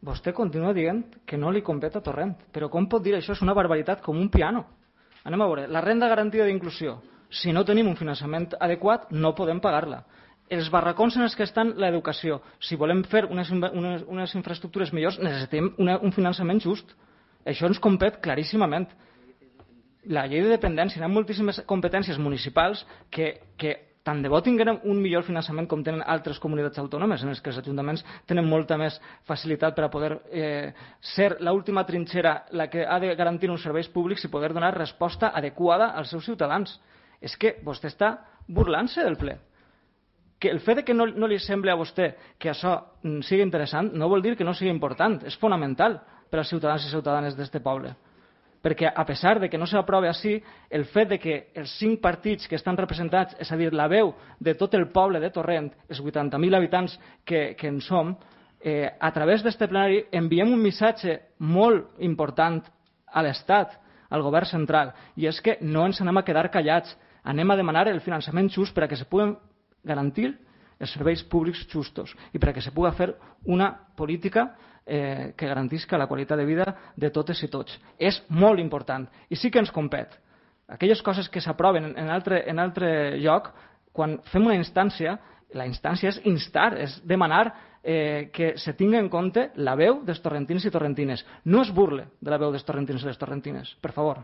vostè continua dient que no li compet a Torrent. Però com pot dir això? És una barbaritat com un piano. Anem a veure. La renda garantida d'inclusió. Si no tenim un finançament adequat, no podem pagar-la. Els barracons en els que estan l'educació. Si volem fer unes infraestructures millors, necessitem un finançament just. Això ens compet claríssimament. La llei de dependència, hi ha moltíssimes competències municipals que tant de bo tinguem un millor finançament com tenen altres comunitats autònomes, en les que els ajuntaments tenen molta més facilitat per a poder ser l'última trinxera, la que ha de garantir uns serveis públics i poder donar resposta adequada als seus ciutadans. És que vostè està burlant-se del ple. Que el fet que no li sembli a vostè que això sigui interessant no vol dir que no sigui important, és fonamental per als ciutadans i ciutadanes d'aquest poble. Perquè a pesar de que no s'aprovi així, el fet de que els 5 partits que estan representats, és a dir, la veu de tot el poble de Torrent, els 80.000 habitants que en som, a través d'aquest plenari enviem un missatge molt important a l'Estat, al govern central, i és que no ens anem a quedar callats, anem a demanar el finançament just per a que se puguen garantir els serveis públics justos i per a que se pugui fer una política que garantisca la qualitat de vida de totes i tots. És molt important i sí que ens compet. Aquelles coses que s'aproven en altre lloc, quan fem una instància, la instància és instar, és demanar que se tingui en compte la veu dels torrentins i torrentines. No es burle de la veu dels torrentins i les torrentines, per favor.